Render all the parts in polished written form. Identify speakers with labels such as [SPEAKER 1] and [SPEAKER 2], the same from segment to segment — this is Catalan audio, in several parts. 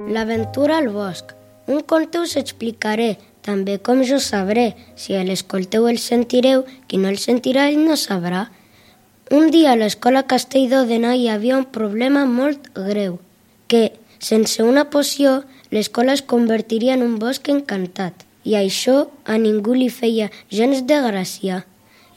[SPEAKER 1] L'aventura al bosc. Un conte us explicaré, també com jo sabré. Si l'escolteu el sentireu, qui no el sentirà ell no sabrà. Un dia a l'escola Castelldòdena hi havia un problema molt greu, que sense una poció l'escola es convertiria en un bosc encantat. I això a ningú li feia gens de gràcia.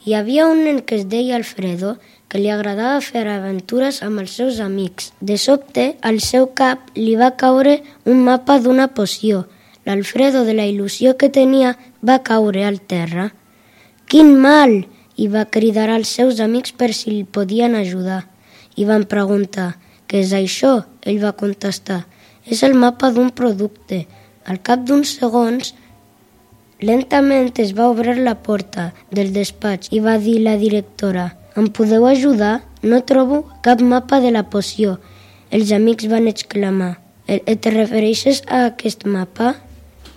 [SPEAKER 1] Hi havia un nen que es deia Alfredo, que li agradava fer aventures amb els seus amics. De sobte, al seu cap li va caure un mapa d'una poció. L'Alfredo, de la il·lusió que tenia, va caure al terra. «Quin mal!» i va cridar als seus amics per si li podien ajudar. I van preguntar «Què és això?» Ell va contestar «És el mapa d'un producte». Al cap d'uns segons, lentament es va obrir la porta del despatx i va dir la directora «Em podeu ajudar? No trobo cap mapa de la poció». Els amics van exclamar «Et refereixes a aquest mapa?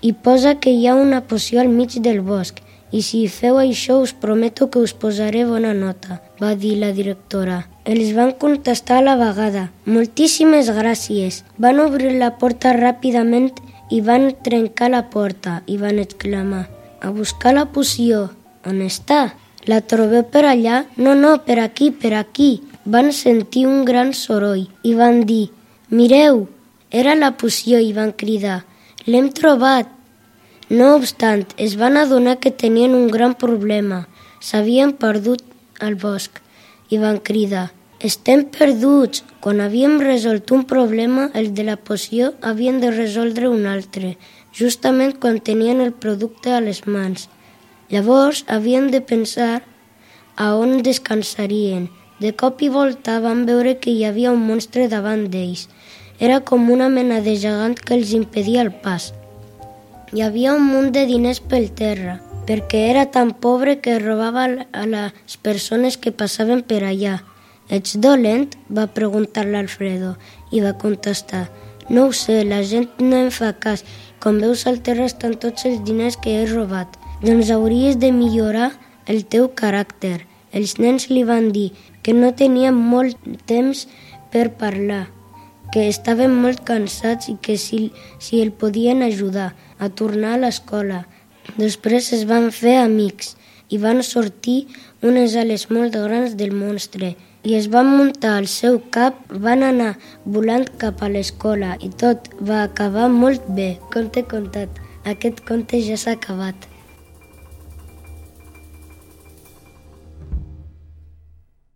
[SPEAKER 1] Hi posa que hi ha una poció al mig del bosc i si feu això us prometo que us posaré bona nota», va dir la directora. Els van contestar a la vegada «Moltíssimes gràcies». Van obrir la porta ràpidament i van trencar la porta i van exclamar «A buscar la poció! On està? La trobeu per allà?» No, per aquí, per aquí». Van sentir un gran soroll i van dir «Mireu, era la poció» i van cridar «L'hem trobat». No obstant, es van adonar que tenien un gran problema. S'havien perdut al bosc i van cridar «Estem perduts». Quan havíem resolt un problema, el de la poció havien de resoldre un altre, justament quan tenien el producte a les mans. Llavors havien de pensar a on descansarien. De cop i volta van veure que hi havia un monstre davant d'ells. Era com una mena de gegant que els impedia el pas. Hi havia un munt de diners pel terra, perquè era tan pobre que robava a les persones que passaven per allà. «Ets dolent?», va preguntar l'Alfredo, i va contestar «No ho sé, la gent no em fa cas. Com veus al terra estan tots els diners que he robat. Doncs hauries de millorar el teu caràcter». Els nens li van dir que no tenien molt temps per parlar, que estaven molt cansats i que si el podien ajudar a tornar a l'escola. Després es van fer amics i van sortir unes ales molt grans del monstre i es van muntar al seu cap, van anar volant cap a l'escola i tot va acabar molt bé. Conte contat. Aquest conte ja s'ha acabat.